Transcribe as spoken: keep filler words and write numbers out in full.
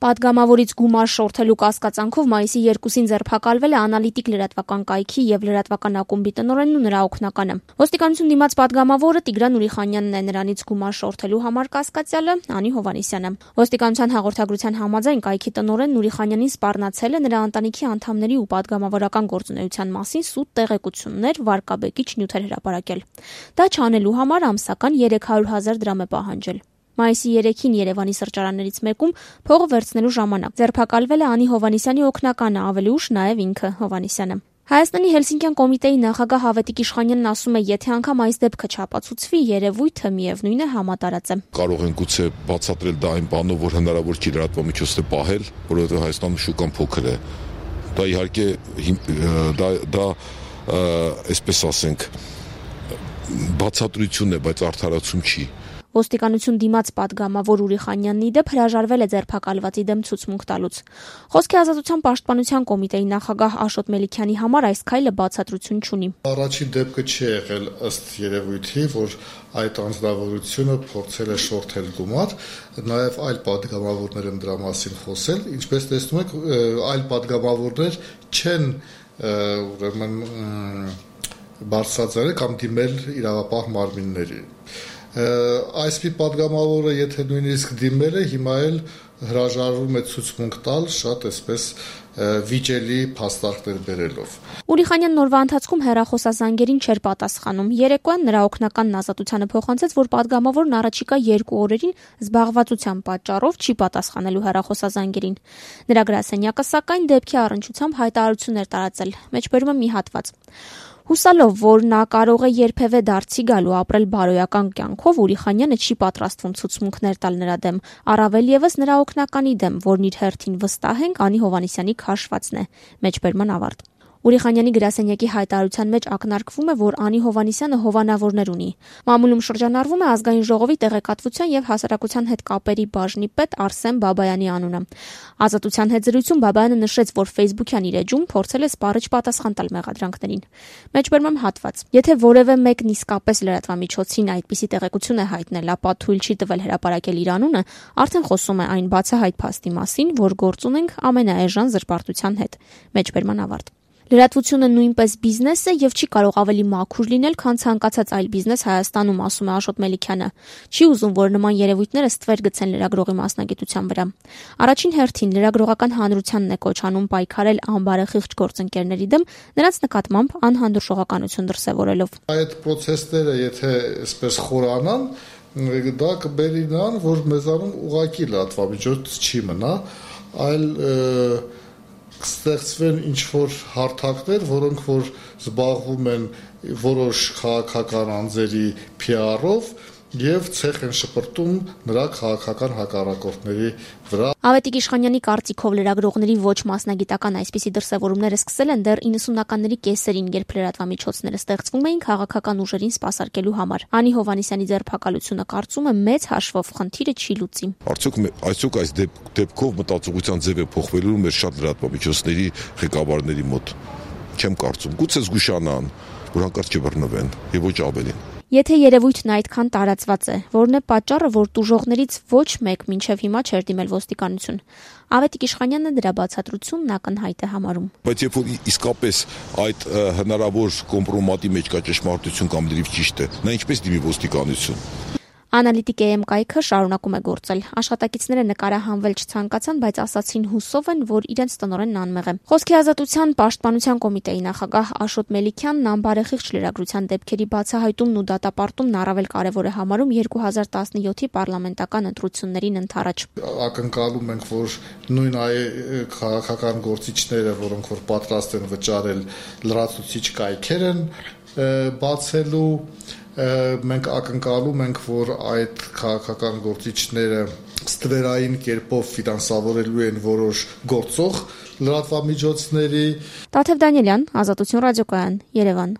Պատգամավորից գումար շորթելու կասկածանքով մայիսի երկուսին ձերբակալվել է Անալիտիկ լրատվական կայքի եւ լրատվական ակումբի տնօրենն ու նրա օգնականը։ Ոստիկանություն դիմաց պատգամավորը Տիգրան Ուրիխանյանն է, նրանից գումար շորթելու համար կասկածյալը Անի Հովհաննիսյանը։ Ոստիկանության հաղորդագրության համաձայն կայքի տնօրենն Ուրիխանյանին սպառնացել է նրա ընտանիքի անդամների ու պատգամավորական գործունեության մասին սուտ տեղեկություններ, վարկաբեկիչ նյութեր հրապարակել։ Դա չանելու համար ամսական երեք հարյուր հազար դրամ է պահանջել։ Մայիսի երեքին Երևանի սրճարաններից մեկում փողը վերցնելու ժամանակ ձերբակալվել է Անի Հովհաննիսյանի օգնականը, ավելի ուշ նաև ինքը Հովհաննիսյանը։ Հայաստանի Հելսինկյան կոմիտեի նախագահ Ավետիք Իշխանյանն ասում է, եթե անգամ այս դեպքը չապացուցվի, երևույթը միևնույն է համատարած է։ Կարող են գուցե բացատրել դա այն բանով, որ հնարավոր չի լրատվամիջոցները պահել, որովհետև Հայաստանում շուկան փոքր է։ Դա իհարկե դա դա այսպես ասենք բացատրություն է, բայց արդարացում չի։ Ոստիկանություն դիմաց պատգամավոր Ուրիխանյանն ի դեպ հրաժարվել է ձերբակալվածի դեմ ցուցմունք տալուց։ Խոսքի ազատության պաշտպանության կոմիտեի նախագահ Աշոտ Մելիքյանի համար այս քայլը բացատրություն չունի։ Առաջին դեպքը չի եղել ըստ երևույթի, որ այդ անձնավորությունը փորձել է շորթել գումար, նաև այլ պատգամավորներ են դրա մասին խոսել, ինչպես տեսնում եք, այլ պատգամավորներ չեն ուրեմն բարձրացրել կամ դիմել իրավապահ մարմինների։ Այս մի պատգամավորը, եթե նույնիսկ դիմել է, հիմա էլ հրաժարվում է ցուցմունք տալ շատ այսպես վիճելի փաստարկներ բերելով։ Ուրիխանյանն օրվա ընթացքում հեռախոսազանգերին չէր պատասխանում։ Երեկոյան նրա օգնականն ազատությանը փոխանցեց, որ պատգամավորն առաջիկա երկու օրերին զբաղվածության պատճառով չի պատասխանելու հեռախոսազանգերին։ Նրա գրասենյակը սակայն դեպքի առնչությամբ հայտարարություններ տարածել։ Մեջբերում է մի հատված։ Հուսալով, որ նա կարող է երբևէ դարձի գալու ապրել բարոյական կյանքով, Ուրիխանյանը չի պատրաստվում ցուցմունքներ տալ նրա դեմ, առավել եւս նրա օգնականի դեմ, որն իր հերթին վստահ ենք Անի Հովհաննիսյանի քաշվածն է։ Մեջբերման ավարտ։ Ուրիխանյանի գրասենյակի հայտարարության մեջ ակնարկվում է, որ Անի Հովհաննիսյանը հովանավորներ ունի։ Մամուլում շրջանառվում է ազգային ժողովի տեղեկատվության եւ հասարակության հետ կապերի բաժնի պետ Արսեն Բաբայանի անունը։ Ազատության հետ զրույցում Բաբայանը նշեց, որ Facebook-յան իր էջում փորձել է սպառիչ պատասխան տալ մեղադրանքներին։ Մեջբերման հատված։ Եթե որևէ մեկն իսկապես լրատվամիջոցին այդպիսի տեղեկություն է հայտնել, ապա թույլ չի տվել հրապարակել իր անունը, արդեն խոսում է այն բացահայտ փաստի մասին, որ գործ ունենք ամենաէժան զրպարտության հետ։ Մեջբերման ավարտ։ Լրատվությունը նույնպես բիզնես է եւ չի կարող ավելի մաքուր լինել, քան ցանկացած այլ բիզնես Հայաստանում, ասում է Աշոտ Մելիքյանը։ Չի ուզում, որ նման երևույթները ստվեր գցեն լրագրողի մասնագիտության վրա։ Առաջին հերթին լրագրողական հանրությանն է կոչ անում պայքարել անբարեխիղճ գործընկերների դեմ, նրանց նկատմամբ անհանդուրժողականություն դրսևորելով։ Այդ process-ները, եթե այսպես խորանան, դա կբերի նրան, որ մեզանում ուղղակի լրատվամիջոց չի մնա, այլ կստեղծվեն ինչ-որ հարթակներ, որոնք որ զբաղվում են որոշ քաղաքական անձերի փի ար-ով եւ ցեխ են շպրտում նրա քաղաքական հակառակորդների վրա։ Ավետիք Իշխանյանի կարծիքով լրագրողների ոչ մասնագիտական այսպիսի դրսևորումները սկսել են դեռ իննսունականների կեսերին, երբ լրատվամիջոցները ստեղծվում էին քաղաքական ուժերին սպասարկելու համար։ Անի Հովհաննիսյանի ձերբակալությունը կարծում է մեծ հաշվով խնդիրը չի լուծի։ Արդյոք այսօք այս դեպքով մտածողության ձև է փոխվելու մեր շատ լրատվամիջոցների ղեկավարների մոտ։ Չեմ կարծում, գուցե զգուշանան, որ հանկարծ չբռնվեն եւ ոչ ավելին։ Եթե երևույթն այդքան տարածված է, որն է պատճառը, որ տուժողներից ոչ մեկ մինչև հիմա չէր դիմել ոստիկանություն։ Ավետիք Իշխանյանը դրա բացատրությունն ակնհայտ է համարում։ Բայց երբ որ իսկապես այդ հնարավոր կոմպրոմատի մեջ կա ճշմարտություն կամ լրիվ ճիշտ է, նա ինչպես դիմի ոստիկանություն։ Անալիտիկ է էմ կայքը շարունակում է գործել։ Աշխատակիցները նկարահանվել չցանկացան, բայց ասացին հուսով են, որ իրենց տնօրենն անմեղ է։ Խոսքի ազատության պաշտպանության կոմիտեի նախագահ Աշոտ Մելիքյանն անբարեխիղճ լրագրության դեպքերի բացահայտումն ու դատապարտումն առավել կարևոր է համարում երկու հազար տասնյոթի պարլամենտական ընտրություններին ընդառաջ։ Ակնկալում ենք, որ նույն այ քաղաքական գործիչները, որոնք որ պատրաստ են վճարել լրացուցիչ կայքեր են բացելու, մենք ակնկալում ենք, որ այդ քաղաքական գործիչները ստվերային կերպով ֆինանսավորելու են որոշ գործող լրատվամիջոցների։ Տաթև Դանիելյան, Ազատություն ռադիոկայան, Երևան։